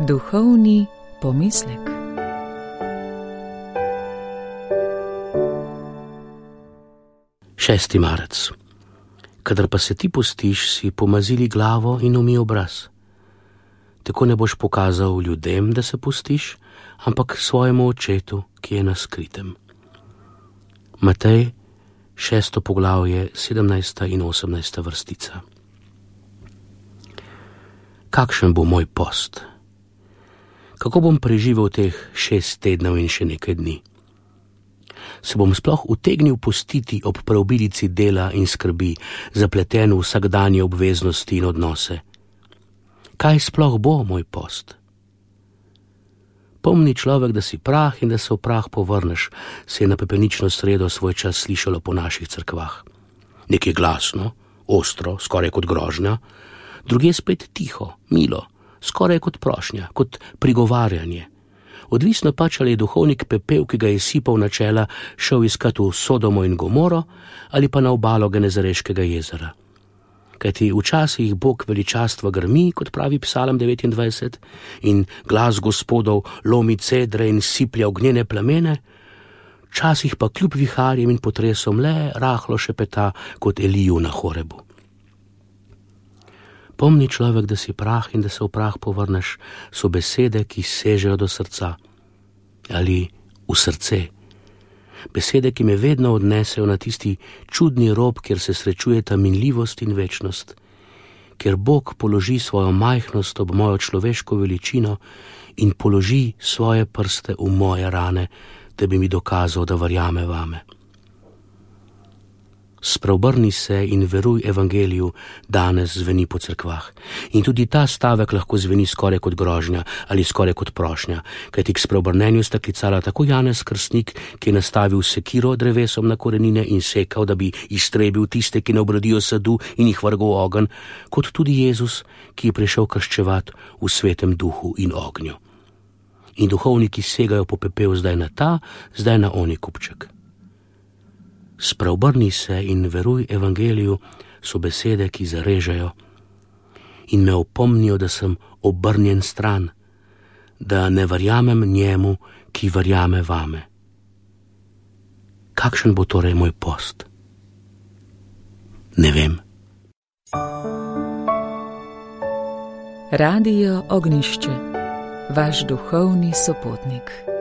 Duhovni pomislek. Šesti marec. Kadar pa se ti postiš, si pomazili glavo in umij obraz. Tako ne boš pokazal ljudem, da se postiš, ampak svojemu očetu, ki je na skritem. Matej, 6. poglavje, 17. in 18. vrstica. Kakšen bo moj post? Kako bom preživel teh 6 tednov in še nekaj dni? Se bom sploh utegnil postiti ob preobilici dela in skrbi, zapleten v vsakdanje obveznosti in odnose? Kaj sploh bo moj post? Pomni človek, da si prah in da se v prah povrneš, se je na pepenično sredo svoj čas slišalo po naših cerkvah. Nekje glasno, ostro, skoraj kot grožnja, drugje spet tiho, milo, skoraj kot prošnja, kot prigovarjanje. Odvisno pač, ali je duhovnik pepel, ki ga je sipal na čela, šel iskat v Sodomo in Gomoro ali pa na obalo Genezareškega jezera. Kajti včasih Bog veličastva grmi, kot pravi Psalm 29, in glas Gospodov lomi cedre in siplja ognjene plamene, včasih pa kljub viharjem in potresom le rahlo šepeta kot Eliju na Horebu. Pomni človek, da si prah in da se v prah povrneš, so besede, ki sežejo do srca ali v srce. Besede, ki me vedno odnesejo na tisti čudni rob, kjer se srečujeta minljivost in večnost, kjer Bog položi svojo majhnost ob mojo človeško veličino in položi svoje prste v moje rane, da bi mi dokazal, da verjame vame. Spreobrni se in veruj evangeliju, danes zveni po cerkvah. In tudi ta stavek lahko zveni skoraj kot grožnja ali skoraj kot prošnja, kajti k spreobrnenju sta klicala tako Janez Krstnik, ki je nastavil sekiro drevesom na korenine in sekal, da bi iztrebil tiste, ki ne obrodijo sadu in jih vrgel v ogenj, kot tudi Jezus, ki je prišel krščevat v svetem duhu in ognju. In duhovniki segajo po pepel zdaj na ta, zdaj na oni kupček. Spreobrni se in veruj evangeliju so besede, ki zarežejo in me opomnijo, da sem obrnjen stran, da ne verjamem njemu, ki verjame vame. Kakšen bo torej moj post? Ne vem. Radio Ognjišče, vaš duhovni sopotnik.